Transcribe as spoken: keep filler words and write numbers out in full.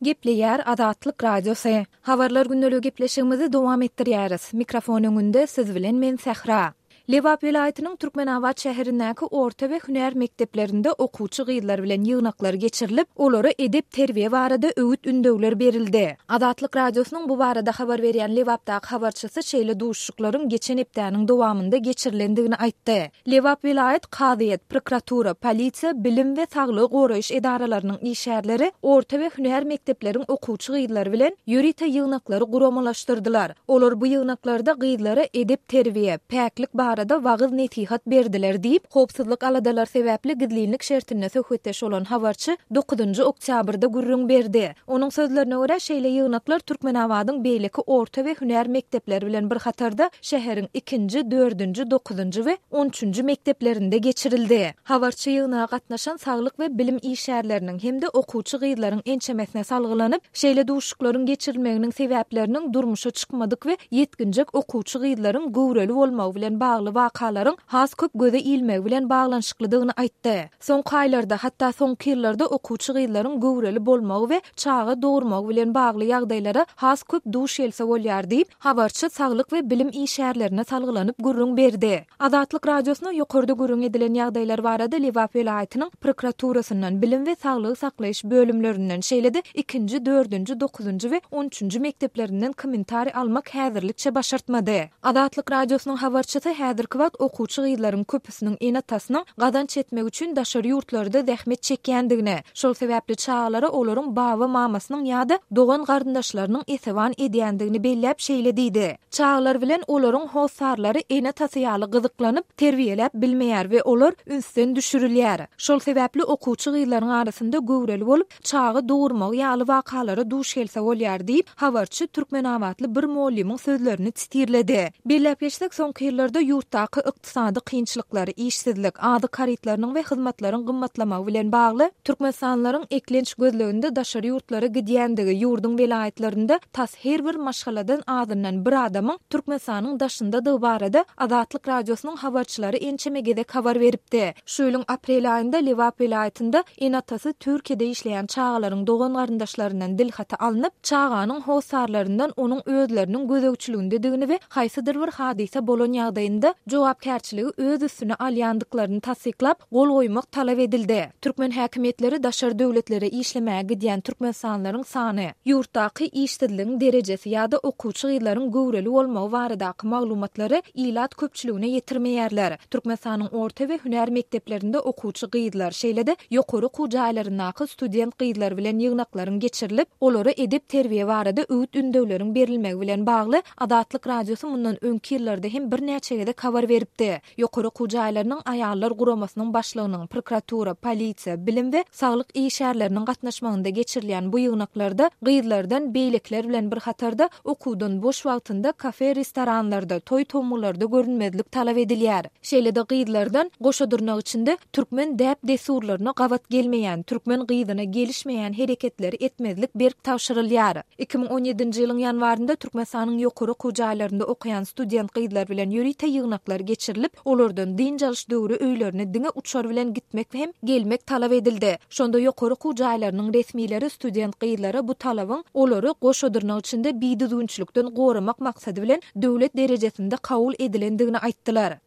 Gepleýär Azatlyk Radiosy. Habarlar gündeligi gepleşigimizi dowam etdirýäris. Mikrofon öňünde siz bilen men Sähra. Lebap welaýatynyň Türkmenabat şäherindäki orta we hünär mekdeplerinde okuwçy gyzlar bilen ýygnaklar geçirilip, olara edep-terbiýe barada öwüt-ündewler berildi. Azatlyk Radiosynyň bu barada habar berýän Lebapdaky habarçysy şeýle duşuşyklaryň geçen hepdäniň dowamynda geçirilendigini aýtdy. Lebap welaýat kazyýet, prokuratura, polisiýa, bilim we saglygy goraýyş edaralarynyň işgärleri orta we hünär mekdepleriň okuwçy gyzlary bilen ýörite ýygnaklary guramalaşdyrdylar. Olar bu ýygnaklarda gyzlara edep-terbiýe, päklik barada wagyz-nesihat berdiler diýip, howpsuzlyk aladalary sebäpli gizlinlik şertinde söhbetdeş bolan habarçy dokuzynjy oktýabrda gürrüň berdi. Onuň sözlerine görä, şeýle ýygnaklar Türkmenabadyň beýleki orta we hünär mekdepleri bilen bir hatarda şäheriň ikinji, dördünji, dokuzynjy we on üçünji mekdeplerinde geçirildi. Habarçy ýygnaga gatnaşan saglyk we bilim işgärleriniň hem-de okuwçy gyzlaryň ençemesine salgylanyp, şeýle duşuşyklaryň geçirilmeginiň sebäpleriniň durmuşa çykmadyk we ýetginjek okuwçy gyzlaryň göwreli bolmagy bilen bagly wakalaryň has köp göze ilmegi bilen baglanyşyklydygyny aýtdy. Soňky aýlarda, hatda soňky ýyllarda okuwçy gyzlaryň göwreli bolmagy we çaga dogurmagy bilen bagly ýagdaýlara has köp duş gelse bolýar diýip, habarçy saglyk we bilim işgärlerine salgylanyp gürrüň berdi. Azatlyk Radiosyna ýokarda gürrüň edilen ýagdaýlar barada Lebap welaýatynyň prokuraturasyndan, bilim we saglygy saklaýyş bölümlerinden, şeýle-de ikinji, dördünji, dokuzynjy we on üçünji mekdeplerinden kommentariý almak häzirlikçe başartmady. Azatlyk Radiosynyň habarçysy häzirki wagt okuwçy gyzlaryň köpüsiniň ene-atasynyň gazanç etmek üçin daşary ýurtlarda zähmet çekýändigini, şol sebäpli çagalara olaryň baba-mamasynyň ýa-da dogan-garyndaşlarynyň esewan edýändigini belläp şeýle diýdi. Çagalar bilen olaryň hossarlary ene-atasy ýaly gyzyklanyp, terbiýeläp bilmeýär we olar ünsden düşürilýär. Şol sebäpli okuwçy gyzlaryň arasynda göwreli bolup, çaga dogurmagy ýaly wakalara duş gelse bolýar diýip, habarçy türkmenabatly bir mugallymyň sözlerini titirledi. Belläp geçsek, soňky ýyllarda ýurtdaky ykdysady kynçylyklar, işsizlik, azyk harytlarynyň we hyzmatlaryň gymmatlamagy bilen bagly türkmenistanlylaryň eklenç gözleginde daşary ýurtlara gidýändigi, ýurduň welaýatlarynda tas her bir maşgaladan azyndan bir adamyň Türkmenistanyň daşyndadygy barada Azatlyk Radiosynyň habarçylary ençeme gezek habar beripdi. Şu ýylyň aprel aýynda Lebap welaýatynda ene-atasy Türkiýede işleýän çagalaryň dogan-garyndaşlaryndan dilhaty alnyp, çaganyň hossarlaryndan onuň özleriniň gözegçiligindedigini we haýsydyr bir hadysa bolan ýagdaýynda jogapkärçiligi öz üstüne alýandyklaryny tassyklap, gol goýmak talap edildi. Türkmen häkimiýetleri daşary döwletlere işlemäge gidýän türkmenistanlylaryň sany, ýurtdaky işsizligiň derejesi ýa-da okuwçy gyzlaryň göwreli bolmagy baradaky maglumatlary ilat köpçüligine ýetirmeýärler. Türkmenistanyň orta we hünär mekdeplerinde okuwçy gyzlar, şeýle-de ýokary okuw jaýlaryndaky student gyzlar bilen ýygnaklaryň geçirilip, olara edep-terbiýe barada öwüt-ündewleriň berilmegi bilen bagly Azatlyk Radiosy mundan öňki ýyllarda hem birnäçe gezek habar beripdi. Ýokary okuw jaýlarynyň aýallar guramasynyň başlygynyň, prokuratura, polisiýa, bilim we saglyk işgärleriniň gatnaşmagynda geçirilýän bu ýygnaklarda gyzlardan beýlekiler bilen bir hatarda okuwdan boş wagtynda kafe-restoranlarda, toý-tomgularda görünmezlik talap edilýär. Şeýle-de gyzlardan goşa dyrnak içinde türkmen däp-dessurlaryna gabat gelmeýän, türkmen gyzyna gelişmeýän hereketleri etmezlik berk tabşyrylýar. Iki müň on ýedinji ýylyň ýanwarynda Türkmenistanyň ýokary okuw jaýlarynda okaýan student gyzlar bilen ýörite ýygnaklar geçirilip, olardan dynç alyş döwri öýlerine diňe uçar bilen gitmek hem gelmek talap edildi. Şonda ýokary okuw jaýlarynyň resmileri student gyzlara bu talabyň olary goşa dyrnak içinde bidüzgünçilikden goramak maksady bilen döwlet derejesinde kabul edilendigini aýtdylar.